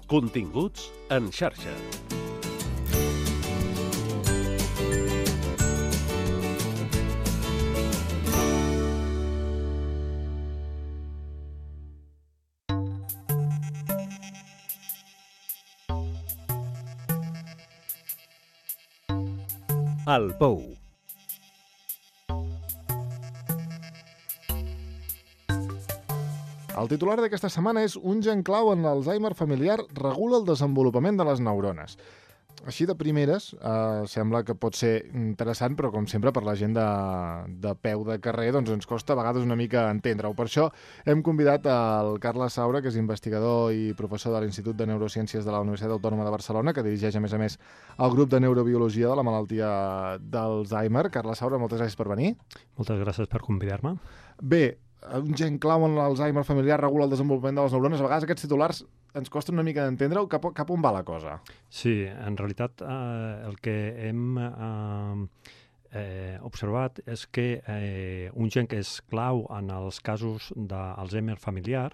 Continguts en xarxa. El Pou. El titular d'aquesta setmana és un gen clau en l'Alzheimer familiar regula el desenvolupament de les neurones. Així de primeres, sembla que pot ser interessant, però com sempre per la gent de peu de carrer doncs ens costa a vegades una mica entendre-ho. Per això hem convidat el Carles Saura, que és investigador i professor de l'Institut de Neurociències de la Universitat Autònoma de Barcelona, que dirigeix a més el grup de neurobiologia de la malaltia d'Alzheimer. Carles Saura, moltes gràcies per venir. Moltes gràcies per convidar-me. Bé, un gen clau en l'Alzheimer familiar regula el desenvolupament de les neurones. A vegades aquests titulars ens costa una mica d'entendre-ho. Cap on va la cosa? Sí, en realitat el que hem observat és que un gen que és clau en els casos d'Alzheimer familiar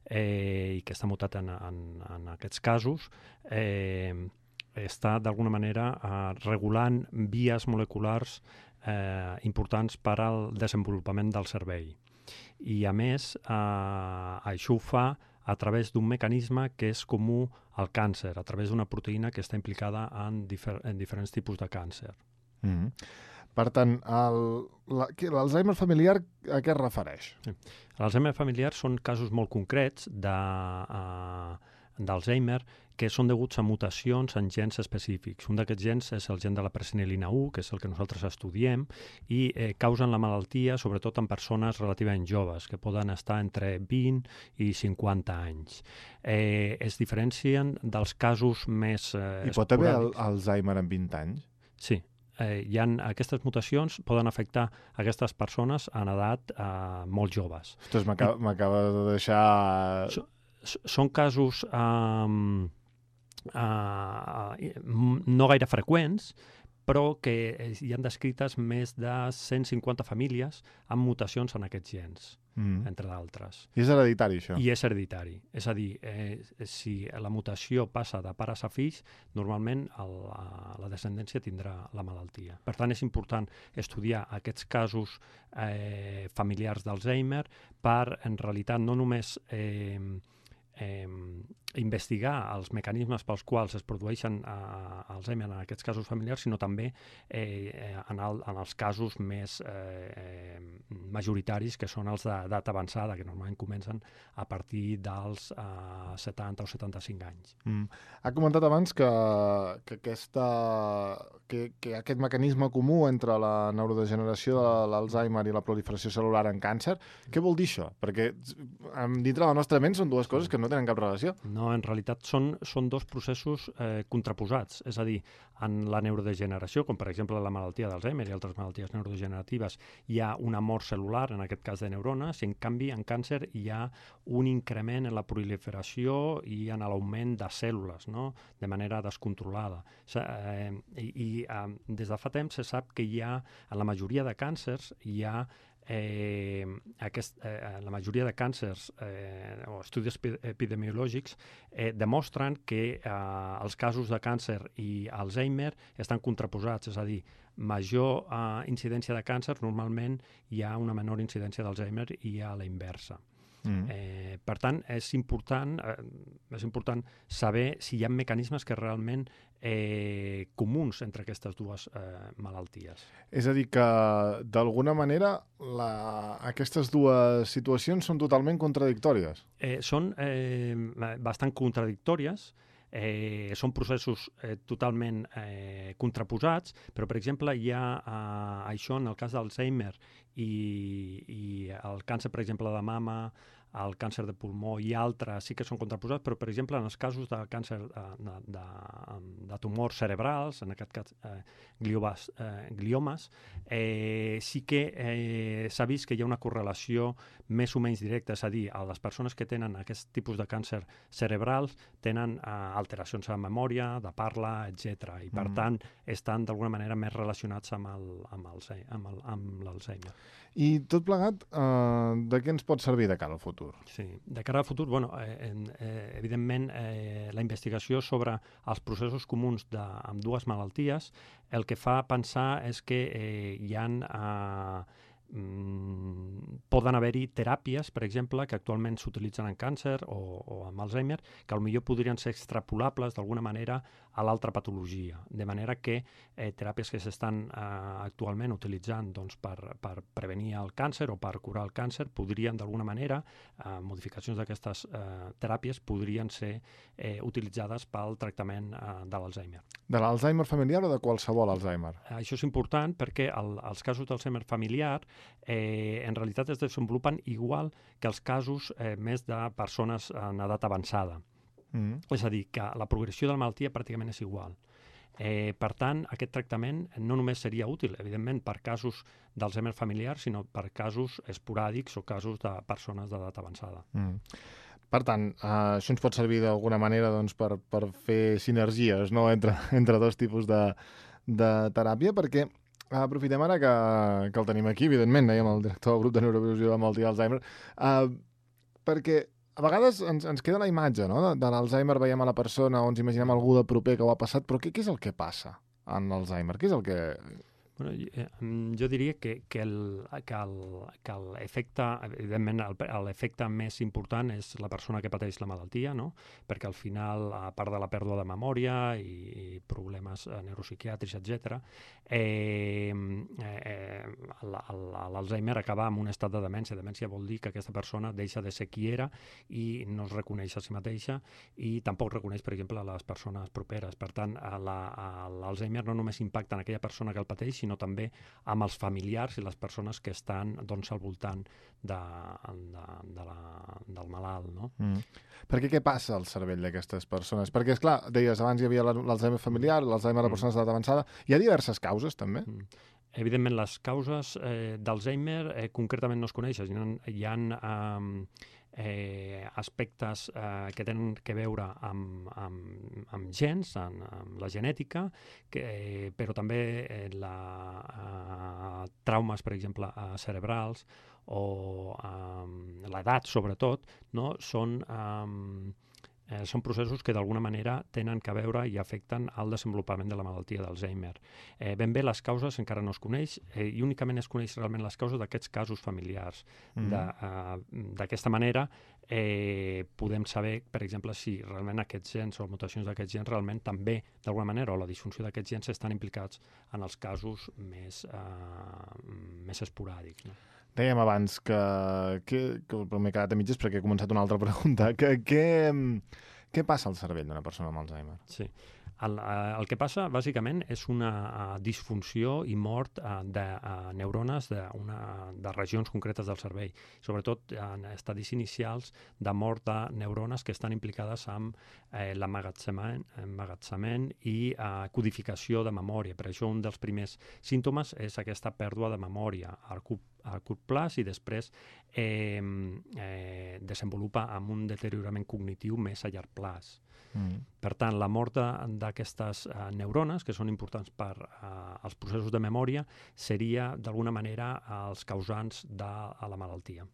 i que està mutat en aquests casos està d'alguna manera regulant vies moleculars importants per al desenvolupament del cervell. I a més, això ho fa a través d'un mecanisme que és comú al càncer, a través d'una proteïna que està implicada en diferents tipus de càncer. Per tant, l'Alzheimer familiar a què es refereix? L'Alzheimer familiar són casos molt concrets d'Alzheimer que són deguts a mutacions en gens específics. Un d'aquests gens és el gen de la presenilina 1, que és el que nosaltres estudiem, i causen la malaltia sobretot en persones relativament joves, que poden estar entre 20 i 50 anys. Es diferencien dels casos més I pot haver Alzheimer en 20 anys? Sí. Aquestes mutacions poden afectar aquestes persones en edat molt joves. Ostres, m'acaba de deixar... Són casos no gaire freqüents, però que hi han descrites més de 150 famílies amb mutacions en aquests gens, entre d'altres. I és hereditari, això? I és hereditari. És a dir, si la mutació passa de pares a fills, normalment la descendència tindrà la malaltia. Per tant, és important estudiar aquests casos familiars d'Alzheimer per, en realitat, no només investigar els mecanismes pels quals es produeixen Alzheimer en aquests casos familiars, sinó també en els casos més majoritaris, que són els d'edat avançada, que normalment comencen a partir dels 70 o 75 anys. Ha comentat abans que aquest mecanisme comú entre la neurodegeneració de l'Alzheimer i la proliferació cel·lular en càncer, què vol dir això? Perquè dintre la nostra ment són dues coses que no tenen cap relació. No, en realitat són dos processos contraposats. És a dir, en la neurodegeneració, com per exemple la malaltia d'Alzheimer i altres malalties neurodegeneratives, hi ha una mort cel·lular, en aquest cas de neurones, i en canvi en càncer hi ha un increment en la proliferació i en l'augment de cèl·lules, no? De manera descontrolada. Des de fa temps se sap que en la majoria de càncers hi ha la majoria de càncers o estudis epidemiològics demostren que els casos de càncer i Alzheimer estan contraposats, és a dir, major incidència de càncer, normalment hi ha una menor incidència d'Alzheimer i a la inversa. Per tant, és important saber si hi ha mecanismes que realment comuns entre aquestes dues malalties. És a dir, que d'alguna manera aquestes dues situacions són totalment contradictòries. Són bastant contradictòries. Són processos totalment contraposats, però, per exemple, hi ha això en el cas d'Alzheimer i el càncer, per exemple, de mama, el càncer de pulmó i altres sí que són contraposats, però, per exemple, en els casos de càncer de tumors cerebrals, en aquest cas gliomes, sí que s'ha vist que hi ha una correlació més o menys directa, és a dir, les persones que tenen aquest tipus de càncer cerebrals tenen alteracions a la memòria, de parla, etc. I, per tant, estan d'alguna manera més relacionats amb l'Alzheimer. I tot plegat, de què ens pot servir de cara al futur? futur? Sí, de cara al futur, evidentment, la investigació sobre els processos comuns amb dues malalties el que fa pensar és que poden haver-hi teràpies, per exemple, que actualment s'utilitzen en càncer o amb Alzheimer, que potser podrien ser extrapolables d'alguna manera a l'altra patologia. De manera que teràpies que s'estan actualment utilitzant per prevenir el càncer o per curar el càncer podrien, d'alguna manera, modificacions d'aquestes teràpies podrien ser utilitzades pel tractament de l'Alzheimer. De l'Alzheimer familiar o de qualsevol Alzheimer? Això és important perquè els casos d'Alzheimer familiar en realitat es desenvolupen igual que els casos més de persones en edat avançada. És a dir, que la progressió de la malaltia pràcticament és igual. Per tant, aquest tractament no només seria útil, evidentment, per casos d'Alzheimer familiar, sinó per casos esporàdics o casos de persones d'edat avançada. Per tant, això ens pot servir d'alguna manera per fer sinergies, no?, entre dos tipus de teràpia, perquè aprofitem ara que el tenim aquí, evidentment, dèiem el director del grup de neurobiologia de la malaltia d'Alzheimer, perquè a vegades ens queda la imatge, no?, de l'Alzheimer, veiem a la persona o ens imaginem algú de proper que ho ha passat, però què és el que passa en l'Alzheimer? Què és el que... Jo diria que l'efecte, evidentment, l'efecte més important és la persona que pateix la malaltia, no? Perquè al final, a part de la pèrdua de memòria i problemes neuropsiquiàtrics, etc., l'Alzheimer acaba amb un estat de demència. Demència vol dir que aquesta persona deixa de ser qui era i no es reconeix a si mateixa i tampoc reconeix, per exemple, les persones properes. Per tant, l'Alzheimer no només impacta en aquella persona que el pateix, sinó també amb els familiars i les persones que estan al voltant del malalt. No? Perquè què passa al cervell d'aquestes persones? Perquè, esclar, deies, abans hi havia l'Alzheimer familiar, l'Alzheimer de persones d'edat avançada. Hi ha diverses causes, també? Evidentment, les causes d'Alzheimer concretament no es coneixen. Hi ha aspectes que tenen que veure amb gens, amb la genètica, però també traumes, per exemple, cerebrals o l'edat, sobretot, no? Són processos que d'alguna manera tenen que veure i afecten el desenvolupament de la malaltia d'Alzheimer. Ben bé les causes encara no es coneix i únicament es coneix realment les causes d'aquests casos familiars. D'aquesta manera podem saber, per exemple, si realment aquests gens o mutacions d'aquests gens realment també, d'alguna manera, o la disfunció d'aquests gens estan implicats en els casos més esporàdics. No? Dèiem abans que m'he quedat a mitges perquè he començat una altra pregunta. Què passa al cervell d'una persona amb Alzheimer? Sí. El que passa, bàsicament, és una disfunció i mort de neurones de regions concretes del cervell, sobretot en estadis inicials de mort de neurones que estan implicades amb l'emmagatzemament i codificació de memòria. Per això un dels primers símptomes és aquesta pèrdua de memòria a curt plaç i després desenvolupa amb un deteriorament cognitiu més a llarg plaç. Per tant, la mort d'aquestes neurones, que són importants per als processos de memòria, seria, d'alguna manera, els causants de la malaltia.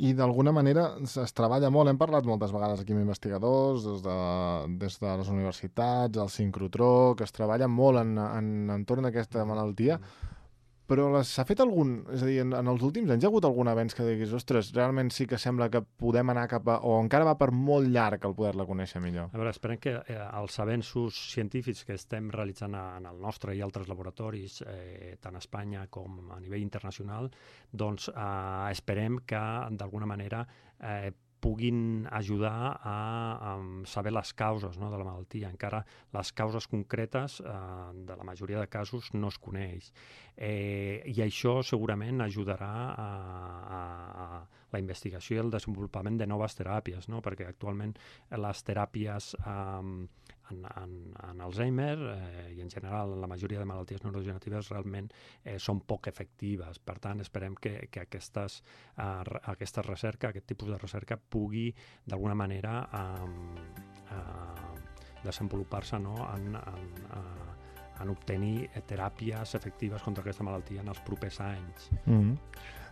I d'alguna manera es treballa molt, hem parlat moltes vegades aquí amb investigadors, des de les universitats, el sincrotró, que es treballa molt entorn d'aquesta malaltia, però s'ha fet és a dir, en els últims anys hi ha hagut algun avenç que diguis, ostres, realment sí que sembla que podem anar o encara va per molt llarg el poder-la conèixer millor? A veure, esperem que els avenços científics que estem realitzant en el nostre i altres laboratoris, tant a Espanya com a nivell internacional, doncs esperem que d'alguna manera puguin ajudar a saber les causes, no, de la malaltia. Encara les causes concretes de la majoria de casos no es coneix. I això segurament ajudarà a la investigació i el desenvolupament de noves teràpies, no? Perquè actualment les teràpies en Alzheimer i en general en la majoria de malalties neurodegeneratives realment són poc efectives. Per tant, esperem que aquesta recerca, aquest tipus de recerca, pugui d'alguna manera desenvolupar-se, no, en obtenir teràpies efectives contra aquesta malaltia en els propers anys.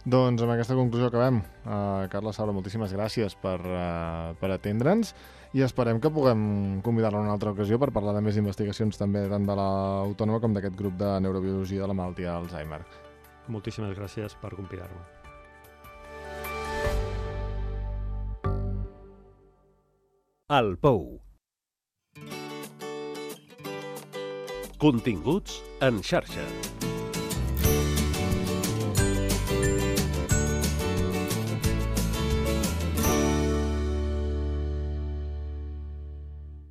Doncs amb aquesta conclusió acabem. Carla Saura, moltíssimes gràcies per atendre'ns i esperem que puguem convidar-la en una altra ocasió per parlar de més investigacions també tant de l'Autònoma com d'aquest grup de neurobiologia de la malaltia d'Alzheimer. Moltíssimes gràcies per convidar-me. El Pou. Continguts en xarxa.